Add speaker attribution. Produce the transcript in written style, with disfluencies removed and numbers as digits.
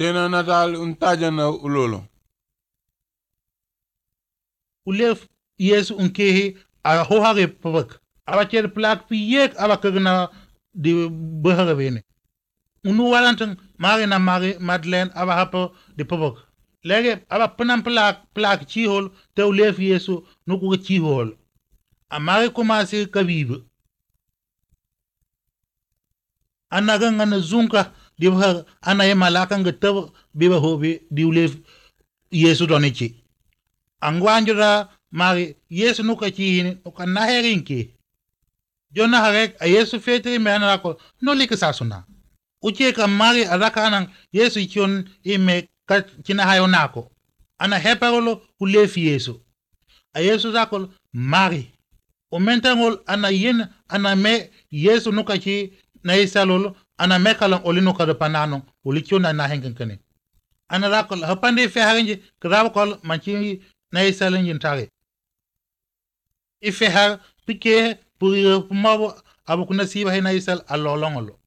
Speaker 1: Tena natal untaja na ulolo.
Speaker 2: Ulef Yesu unkehi a hohare pavak. Abacher plak piyek abakagna di behara bene. Unu walantan mari na mari Madeleine abahapo di pavak. Lege aba penam plak chihol te ulef Yesu nuku chihol. Amari kumasi kabibu. Anaga na zunka di behar anaye malakan getav biba hobi di ulef Yesu donichi. Angwanjura mari Yesu nuka chihini nuka naherinki. Jona harek a Yesu fetri me anako no lika sasuna. Uche ka mari arakanan Yesu chon ime china hayo nako. Ana heparolo ulefi Yesu. A Yesu zakol mari. Umentangol ana yin ana me Yesu nuka chi na isalolo ana mekalang olinuka de panano ulichona na hengenkane. Ana rakol hapande fe harinje krabakol manchi na isalin yintare. Ife har pike puri mabo abukuna siba na isal alolongolo.